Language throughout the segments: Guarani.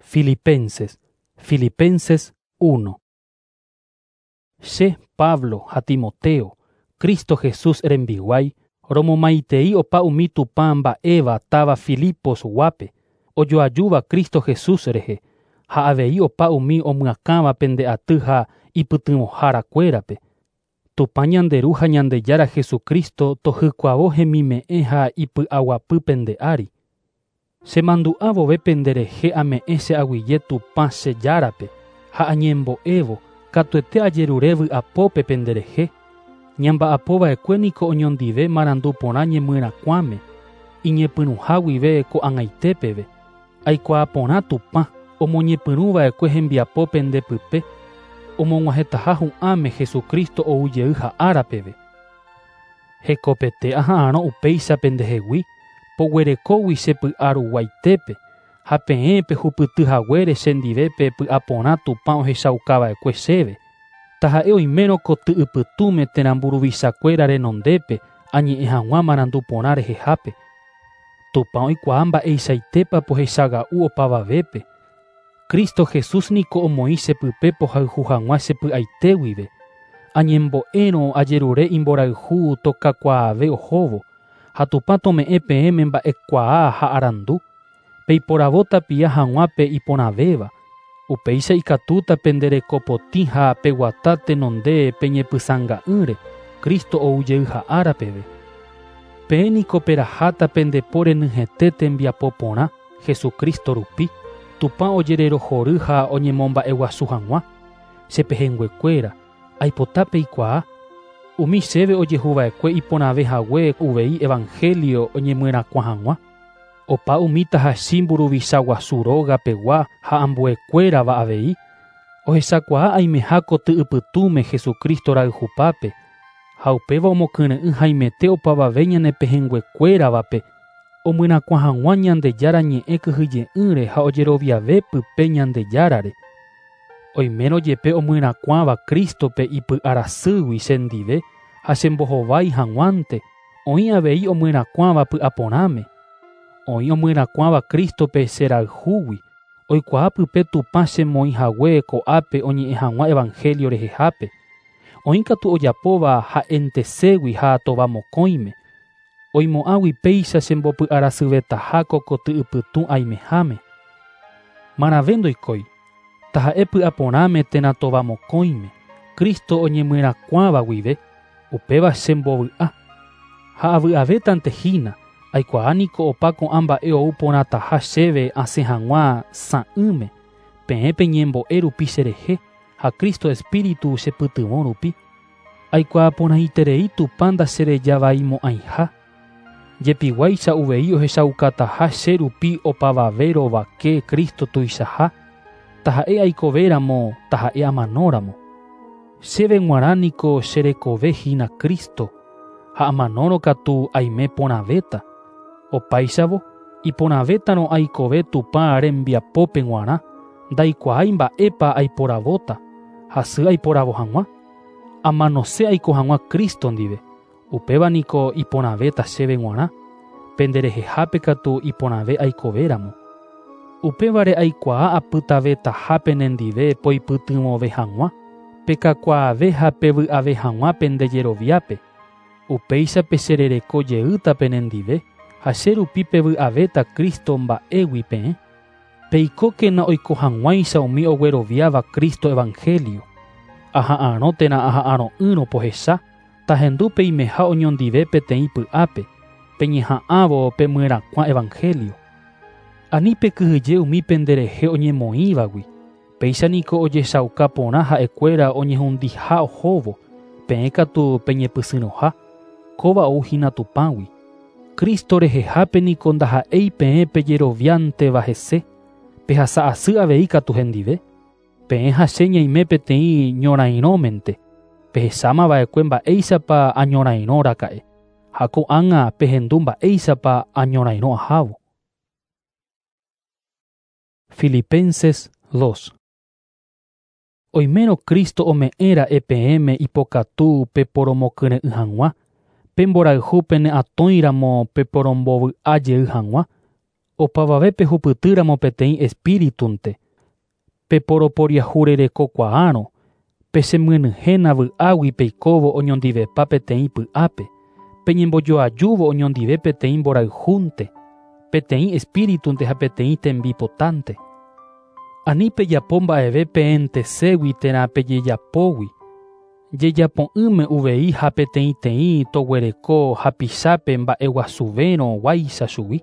Filipenses, Filipenses 1. Che, Pablo ha Timoteo, Cristo Jesús rembiguái, romomaitei opa umi Tupã mba'éva táva Filipos guápe, ojoajúva Cristo Jesús rehe, ha avei opa umi omyakãva pende aty ha ipytyvõhárakuérape. Tupã ñande Ru ha Ñandejára Jesucristo tohykuavo hemime'ẽ ha ipy'aguapy pende ári. Chemandu'a vove penderehe ame'ẽ che aguyje Tupã che Járape ha añembo'évo katuete ajerure vy'apópe penderehe. Ñamba'apova'ekue niko oñondive marandu porã ñemyrakuãme, iñepyrũha guive ko'ag̃aite peve. Aikuaa porã Tupã omoñepyrũva'ekue hembiapo pendepype, omog̃uahẽtaha hu'ãme Jesucristo oujey ha'ára peve. Hekopete aha'arõ upéicha pendehegui, poguerekógui che py'aruguaitépe ha peẽ pehupytyhaguére chendive pe py'aporã Tupã ohechaukava'ekue chéve. Taha'e oimérõ koty ypytũme térã mburuvichakuéra renondépe añe'ẽ hag̃ua marandu porã rehehápe. Tupã oikuaa mba'eichaitépa pohechaga'u opavavépe. Cristo Jesús niko omoĩ chepype pohayhu hag̃ua che py'aite guive. Añembo'érõ ajerure imborayhu tokakuaave ohóvo ha Tupã tome'ẽ peẽme mba'ekuaa ha arandu. Peiporavo tapia hag̃ua pe iporãvéva. Upéicha ikatúta penderekopotĩ ha peguata tenonde peñepysãnga'ỹre Cristo oujey ha'ára peve. Peẽ niko peraháta pendepo renyhẽte tembiapo porã Jesucristo rupi, Tupã ojererohory ha oñemomba'eguasu hag̃ua. Che pehẽnguekuéra, aipota peikuaa, umi chéve ojehuva'ekue iporãvehague uvei Evangelio oñemyrakuã hag̃ua. Opa umi tahachi mburuvicha guasu róga pegua ha ambuekuérava avei, ohechakuaa aimeha koty ypytũme Jesucristo rayhupápe, ha upéva omokyre'ỹ haimete opavave ñane pehẽnguekuéravape, omyrakuã hag̃ua Ñandejára ñe'ẽ kyhyje'ỹre ha ojeroviave pype Ñandejárare. Oimérõ jepe omyrakuãva Cristo-pe ipy'arasýgui chendive ha chembohovái hag̃uánte, oĩ avei omyrakuãva py'aporãme. Oĩ omyrakuãva Cristo-pe cherayhúgui, oikuaa pype Tupã chemoĩhague ko'ápe oñe'ẽ hag̃ua Evangelio rehehápe. Oĩ katu ojapóva ha'enteségui ha tovamokõime. Oimo'ãgui péicha chembopy'arasyvetaha ko koty ypytũ aimeháme. Marãve ndoikói, taha'e py'aporãme térã tovamokõime, Cristo oñemyrakuãva guive, upéva chembovy'a. Ha avy'avétante hína, aikuaa niko opa ko'ã mba'e ou porãtaha chéve asẽ hag̃ua sã'ỹme, peẽ peñembo'e rupi cherehe ha Cristo Espíritu chepytyvõ rupi. Aikuaa porãiterei Tupã ndacherejavaimo'ãiha. Jepiguáicha uvei ohechaukataha che rupi opavave rovake Cristo tuichaha, taha'e aikovéramo, taha'e amanóramo. Chéve g̃uarã niko cherekove hína Cristo, ha amanórõ katu aime porãvéta. Opáichavo, iporãvétarõ aikove Tupã rembiapópe g̃uarã, ndaikuaái mba'épa aiporavóta, hasy aiporavo hag̃ua. Amanose aiko hag̃ua Cristo ndive, upéva niko iporãvéta chéve g̃uarã, penderehehápe katu iporãve aikovéramo. Upévare aikuaa apytavetaha penendive poipytyvõve hag̃ua, pekakuaave ha pevy'ave hag̃ua pendejeroviápe. Upéicha pecherereko jeýta penendive ha che rupi pevy'avéta Cristo mba'égui peẽ. Peikókena oiko hag̃uáicha umi ogueroviáva Cristo Evangelio. Aha'arõ térã aha'arõ'ỹrõ pohecha, tahendu peimeha oñondive peteĩ py'ápe, peñeha'ãvo pemyrakuã Evangelio. Ani pekyhyje umi penderehe oñemoĩvagui, péicha niko ojechauka porã ha'ekuéra oñehundiha ohóvo, peẽ katu peñepysyrõha, kóva ouhína Tupãgui. Cristo rehehápe niko ndaha'éi peẽ pejeroviánteva hese, pehasa'asy avei katu hendive. Peẽ ha che ñaime peteĩ ñorairõmente, pehechámava'ekue mba'éichapa añorairõraka'e, ha ko'ág̃a pehendu mba'éichapa añorairõ ahávo. Filipenses 2. Oimérõ Cristo ome'ẽra'e peẽme ipokatu peporomokyre'ỹ hag̃ua, pemborayhu pene atõiramo peporombovy'a jey hag̃ua. Opavave pehupytýramo peteĩ espíritunte, peporoporiahurerekokuaárõ, pechemyenyhẽna vy'águi peikóvo oñondivepa peteĩ py'ápe, peñembojoajúvo oñondive peteĩ mborayhúnte, peteĩ espíritunte ha peteĩ tembipotánte. Ani pejapo mba'eve peẽnteségui térã pejejapógui, jejapo'ỹme uvei ha peteĩteĩ toguereko hapichápe mba'eguasuvérõ guáicha chugui.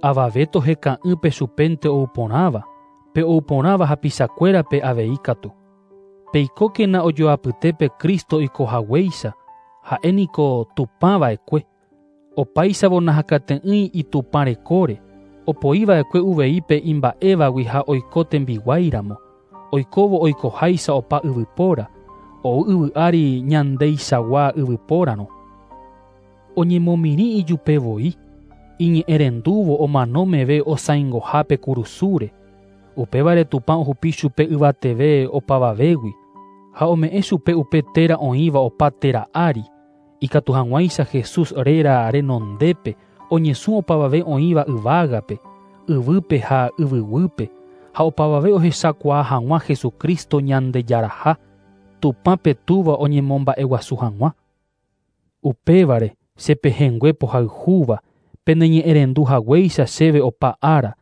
Avave toheka'ỹ pe chupénte ouporãva, pe ouporãva hapichakuérape avei katu. Peikókena ojoapytépe Cristo oikohaguéicha, ha'éniko Tupãva'ekue. Opáichavo nahakate'ỹi itupã rekóre, opoiva'ekue uvei pe imba'évagui ha oiko tembiguáiramo, oikóvo oikoháicha opa yvypóra, ou yvy ári ñandeichagua yvypórarõ. Oñemomirĩ ijupevoi, iñe'ẽrendúvo omano meve osãingohápe kurusúre. Upévare Tupã ohupi chupe yvateve opavavégui, ha ome'ẽ chupe upe téra oĩva opa téra ári, ikatu hag̃uáicha Jesús réra renondépe oñesũ opavave oĩva yvágape, yvýpe ha yvyguýpe, ha opavave ohechakuaa hag̃ua Jesucristo Ñandejaraha, Tupãpe Túva oñemomba'eguasu hag̃ua. Upévare che pehẽngue pohayhúva, peneñe'ẽrendu haguéicha chéve opa ára,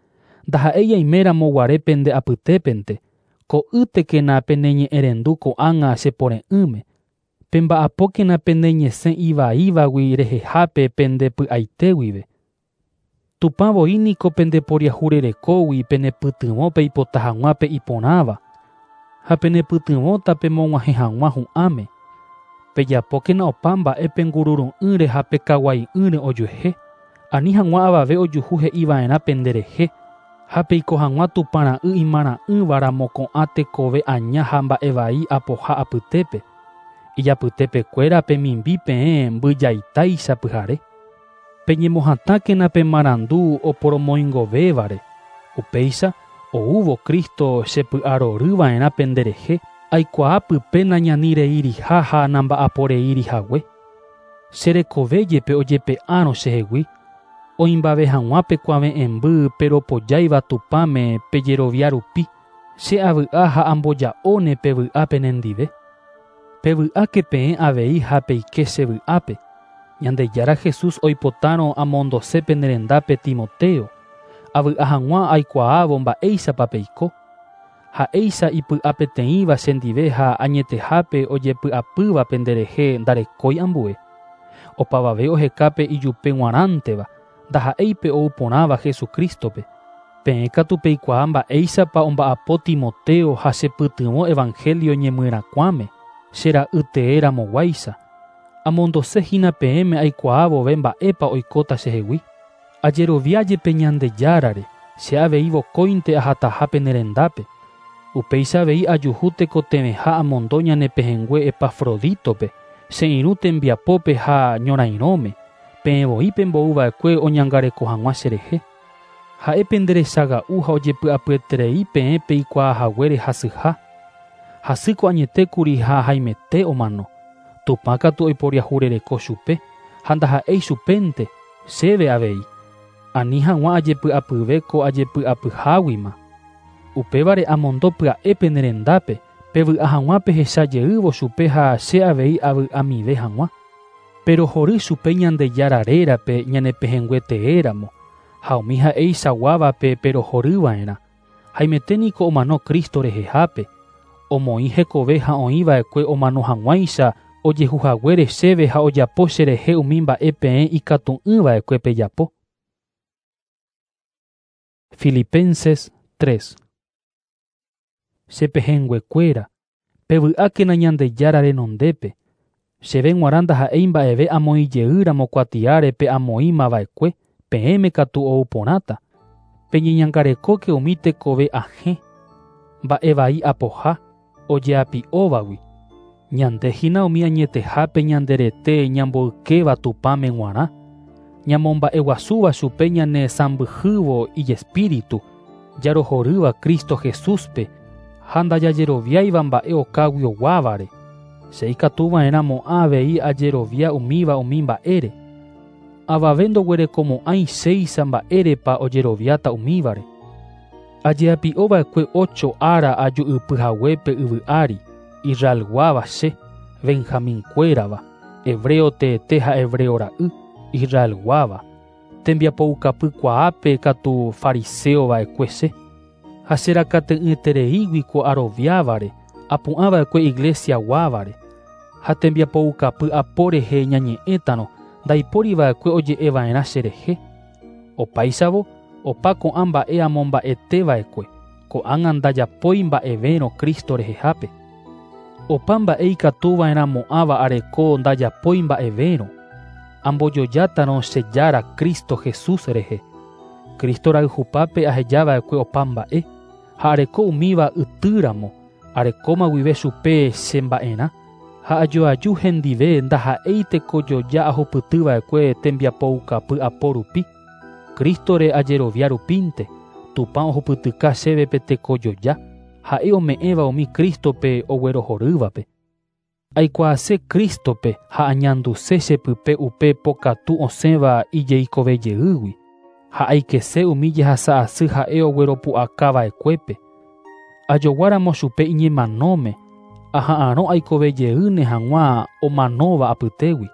ndaha'éi aiméramo guare pende apytépente, ko'ýtekena peneñe'ẽrendu ko'ág̃a chepore'ỹme, pemba'apókena pene ñesẽ ivaívagui rehehápe pende py'aite guive. Tupã voi niko pendeporiahurerekógui penepytyvõ peipota hag̃ua pe iporãva, ha penepytyvõta pemog̃uahẽ hag̃ua hu'ãme. Pejapókena opa mba'e pengururu'ỹre ha pekaguai'ỹre ojuehe, ani hag̃ua avave ojuhu he'iva'erã penderehe, ha peiko hag̃ua Tupã ra'y imarã'ỹvaramo ko'ã tekove aña ha mba'evai apoha apytépe. Ijapytepekuéra pemimbi peẽ mbyjaitáicha pyhare. Peñemohatãkena pe marandu oporomoingovévare. Upéicha, oúvo Cristo chepy'aroryva'erã penderehe, aikuaa pype nañanireiriha ha namba'aporeirihague. Che rekove jepe ojepe'árõ chehegui, oĩmbave hag̃ua pe kuave'ẽmby peropojáiva Tupãme pejerovia rupi, che avy'a ha amboja'óne pe vy'a penendive. Pevy'áke peẽ avei ha peike che vy'ápe. Ñandejára Jesús oipotárõ amondose penerendápe Timoteo, avy'a hag̃ua aikuaávo mba'éichapa peiko. Ha'éicha ipy'apeteĩva chendive ha añetehápe ojepy'apýva penderehe ndarekói ambue. Opavave ohekápe ijupe g̃uarãnteva, ndaha'éi pe ouporãva Jesucristope. Peẽ katu peikuaa mba'éichapa omba'apo Timoteo ha chepytyvõ Evangelio ñemyrakuãme, che ra'y teéramoguáicha. Amondosehína peẽme aikuaávove mba'épa oikóta chehegui. Ajerovia jepe Ñandejárare, che avei vokóinte ahataha penerendápe. Upéicha avei ajuhu tekotevẽha amondo ñane pehẽngue Epafroditope, che irũ tembiapópe ha ñorairõme, peẽ voi pembouva'ekue oñangareko hag̃ua cherehe. Ha'e penderechaga'u ha ojepy'apyeterei peẽ peikuaahaguére hasyha. Hasýko añetékuri ha haimete omano. Tupã katu oiporiahurereko chupe, ha ndaha'éi chupénte, chéve avei. Ani hag̃ua ajepy'apyve ko ajepy'apyháguima. Upévare amondo pya'e penerendápe, pevy'a hag̃ua pehecha jeývo chupe ha che avei avy'amive hag̃ua. Perohory chupe Ñandejára rérape ñane pehẽngue teéramo, ha umi ha'eichaguávape perohoryva'erã. Haimete niko omano Cristo rehehápe, omoĩ hekove ha oĩva'ekue omano hag̃uáicha ojehuhaguére chéve ha ojapo cherehe umi mba'e peẽ ikatu'ỹva'ekue pejapo. Filipenses 3. Che pehẽnguekuéra, pevy'ákena Ñandejára renondépe. Chéve g̃uarã ndaha'éi mba'eve amoĩjeýramo kuatiáre pe amoĩmava'ekue, peẽme katu ouporãta. Peñeñangarekóke umi tekove ahẽ, mba'evai apoha, ojeapi'óvagui. Ñandehína umi añetehápe ñanderete ñamboykéva Tupãme g̃uarã, ñamomba'eguasúva chupe ñane sãmbyhývo ijespíritu, jarohorýva Cristo Jesúspe ha ndajajeroviáiva mba'e okaguioguávare. Che ikatuva'erãmo'ã avei ajerovia umíva umi mba'ére. Avave ndoguerekomo'ãi chéicha mba'érepa ojeroviáta umívare. Ajeapi'ova'ekue ocho ára aju'ypyhaguépe yvy ári, Israelguáva che, Benjaminkuérava, hebreo teete ha hebreo ra'y, Israelguáva, tembiapoukapykuaápe katu fariseova'ekue che. Ha cherakate'ỹetereígui ko aroviávare, apu'ãva'ekue iglesiaguávare, ha tembiapoukapy apo rehe ñañe'ẽtarõ ndaipóriva'ekue oje'eva'erã cherehe. Opáichavo, opa ko'ã mba'e amomba'eteva'ekue, ko'ág̃a ndajapói mba'evérõ Cristo rehehápe. Opa mba'e ikatuva'erãmo'ãva areko ndajapói mba'evérõ, ambojojátarõ che Jára Cristo Jesús rehe. Cristo rayhupápe ahejava'ekue opa mba'e, ha areko umíva ytýramo, arekóma guive chupe che mba'erã, ha ajoaju hendive ndaha'éi tekojoja ahupytyva'ekue tembiapoukapy apo rupi. Cristore ajerovia rupínte, Tupã ohupytyka chéve pe tekojoja, ha'e ome'ẽva umi Cristope oguerohorývape. Aikuaase Cristope ha añanduse chepype upe pokatu osẽva ijeikovejeýgui, ha aikese umi jehasa asy ha'e ogueropu'akava'ekuépe. Ajoguáramo chupe iñemanóme, aha'arõ aikovejeýne hag̃ua omanóva apytégui.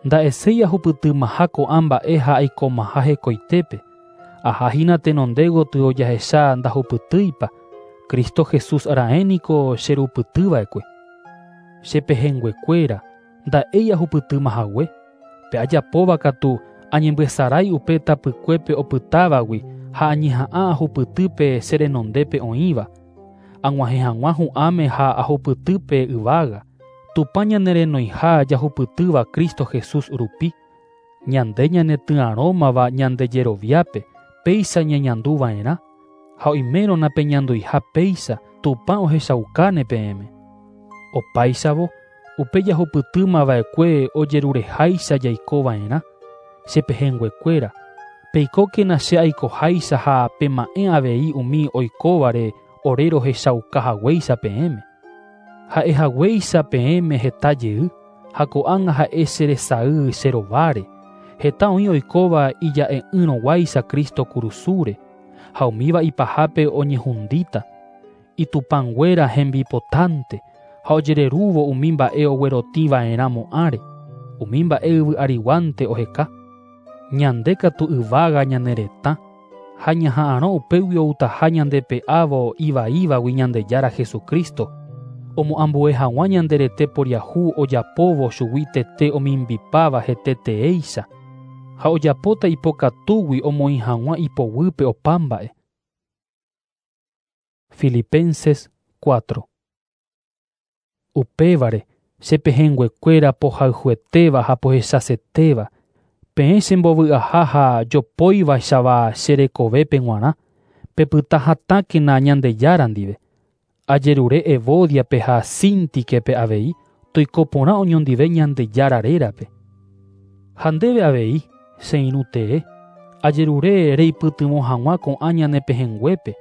Nda'eséi ahupytymaha ko'ã mba'e ha aikomaha hekoitépe. Ahahína tenonde gotyo jahecha ndahupytýipa, Cristo Jesús raẽniko cherupytyva'ekue. Chepehẽnguekuéra, nda'éi ahupytymahague, pe ajapóva katu añembyesarái upe tapykuépe opytávagui ha añeha'ã ahupytýpe che renondépe oĩva, ag̃uahẽ hag̃ua hu'ãme ha ahupytýpe yvága. Tupã ñanerenoiha jahupytýva Cristo Jesús rupi, ñande ñanetyarõmava ñande jeroviápe, péicha ñañanduva'erã, ha oimérõ napeñanduiha péicha Tupã ohechaukáne peẽme. Opáichavo, upe jahupytýmava'ekue ojerureháicha jaikova'erã, chepehẽnguekuéra, peikókena che aikoháicha ha pema'ẽ avei umi oikóvare ore rohechaukahaguéicha peẽme. Ha'ehaguéicha peẽme heta jey, ha ko'ág̃a ha'e cheresay che rováre, heta oĩ oikóva ija'e'ỹrõguáicha Cristo kurusúre, ha umíva ipahápe oñehundíta, itupãnguéra hembipotánte, ha ojererúvo umi mba'e oguerotĩva'erãmo'ãre, umi mba'e yvy ariguánte oheka. Ñande katu yvága ñane retã, ha ñaha'arõ upégui outaha ñandepe'ávo ivaívagui Ñandejára Jesucristo, omoambue hag̃ua ñande rete poriahu ojapóvo chugui tete omimbipáva hete teéicha, ha ojapóta ipokatúgui omoĩ hag̃ua ipoguýpe opa mba'e. Filipenses 4. Upévare, chepehẽnguekuéra pohayhuetéva ha pohechasetéva, peẽ chembovy'aha ha jopóivaichava che rekovépe g̃uarã, pepyta hatãkena Ñandejára ndive. Ajerure Evodiape ha Síntiquepe avei, toiko porã oñondive Ñandejára rérape. Ha ndéve avei, che irũ tee, ajerure reipytyvõ hag̃ua ko'ã ñane pehẽnguépe,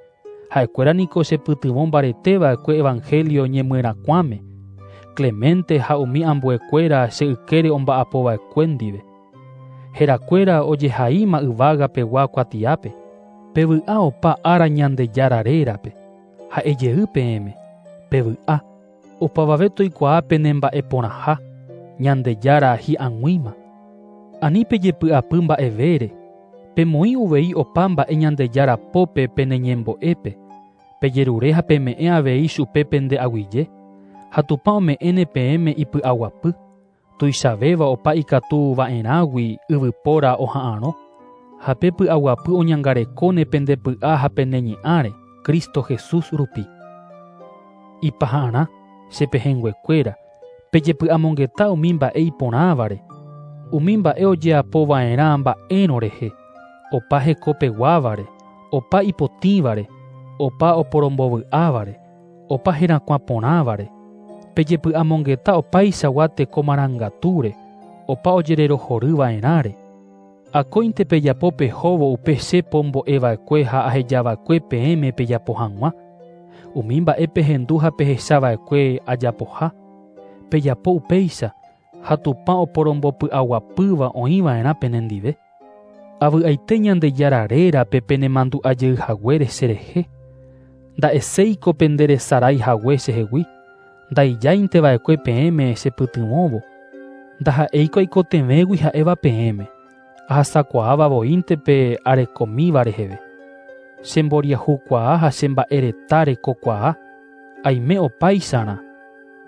ha'ekuéra niko chepytyvõ mbareteva'ekue Evangelio ñemyerakuãme, Clemente ha umi ambuekuéra che ykére omba'apova'ekue ndive. Herakuéra ojehaíma yvágapegua kuatiápe, pevy'a opa ára Ñandejára rérape, ha'ejey peẽme, pevy'a, opavave toikuaa penemba'eporãha, Ñandejára hi'ag̃uíma. Ani pejepy'apy mba'evére, pemoĩ uvei opa mba'e Ñandejára pópe pene ñembo'épe, pejerure ha peme'ẽ avei chupe pende aguyje, ha Tupã ome'ẽne peẽme ipy'aguapy, tuichavéva opa ikatuva'erãgui yvypóra oha'arõ, ha pe py'aguapy oñangarekóne pende py'a ha pene ñe'ãre, Cristo Jesús rupi. Ipaha'arã, chepehẽnguekuéra, pejepy'amongeta umi mba'e iporãvare, umi mba'e ojeapova'erã mba'érõ rehe, opa hekopeguávare, opa ipotĩvare, opa oporombovy'ávare, opa herakuã porãvare, pejepy'amongeta opaichagua teko marangatúre, opa ojererohoryva'erãre. Akóinte pejapo pehóvo upe che pombo'eva'ekue ha ahejava'ekue peẽme pejapo hag̃ua, umi mba'e pehendu ha pehechava'ekue ajapoha, pejapo upéicha, Ha Tupã oporombopy'aguapýva oĩva'erã penendive. Avy'aite Ñandejára rérape penemandu'ajey haguére cherehe. Nda'eséiko penderesarái hague chehegui, ndaijáinteva'ekue peẽme chepytyvõvo. Ndaha'éiko aikotevẽgui ha'éva peẽme, ahasakuaáva voínte pe arekomíva reheve. Chemboriahukuaa ha chemba'ereta rekokuaa, aime opáicharã,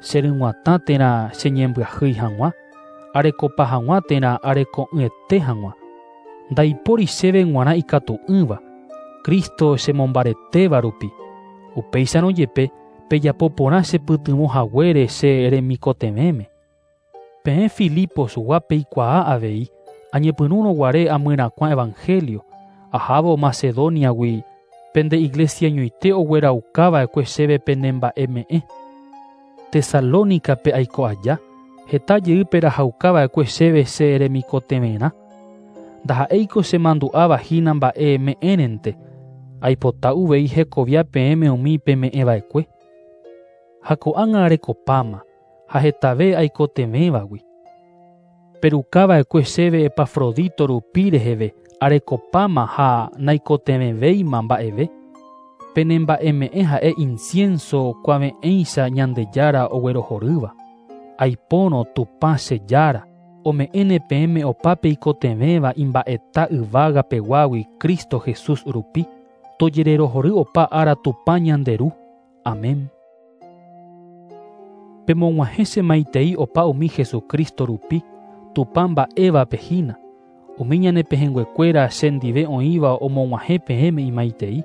cheryg̃uatã térã cheñembyahýi hag̃ua, arekopa hag̃ua térã areko'ỹete hag̃ua. Ndaipóri chéve g̃uarã ikatu'ỹva, Cristo chemombaretéva rupi. Upéicharõ jepe pejapo porã chepytyvõ haguére che remikotevẽme. Peẽ Filiposgua peikuaa avei, añepyrũrõ guare amyrakuã evangelio, ahávo Macedoniagui pende iglesia ñoite ogueraukava'ekue chéve penemba'eme'ẽ. Tesalónicape aiko aja, heta jey perahaukava'ekue chéve che remikotevẽrã. Ndaha'éiko chemandu'áva hína mba'e me'ẽrente, aipota uvei hekovia peẽme umi peme'ẽva'ekue. Ha ko'ág̃a arekopáma, ha hetave aikotevẽvagui. Perukava'ekue chéve Epafrodito rupi reheve arekopáma ha naikotevẽvéima mba'eve. Penemba'eme'ẽ ha'e incienso kuave'ẽicha Ñandejára oguerohorýva. Aipórõ Tupã che Jára, ome'ẽne peẽme opa peikotevẽva imba'eta yvága peguágui Cristo Jesús rupi, tojererohory opa ára Tupã ñande Ru. Amén. Pemog̃uahẽ che maitei opa umi Jesucristo rupi, Tupã mba'évape hína. Umi ñane pehẽnguekuéra chendive oĩva omog̃uahẽ peẽme imaitei.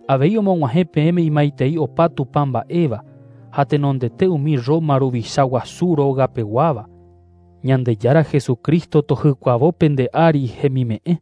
Avei omog̃uahẽ peẽme imaitei opa Tupã mba'éva, ha tenondete umi Roma ruvicha guasu rógapeguáva. Ñandejára Jesucristo tohykuavo pende ári hemime'ẽ.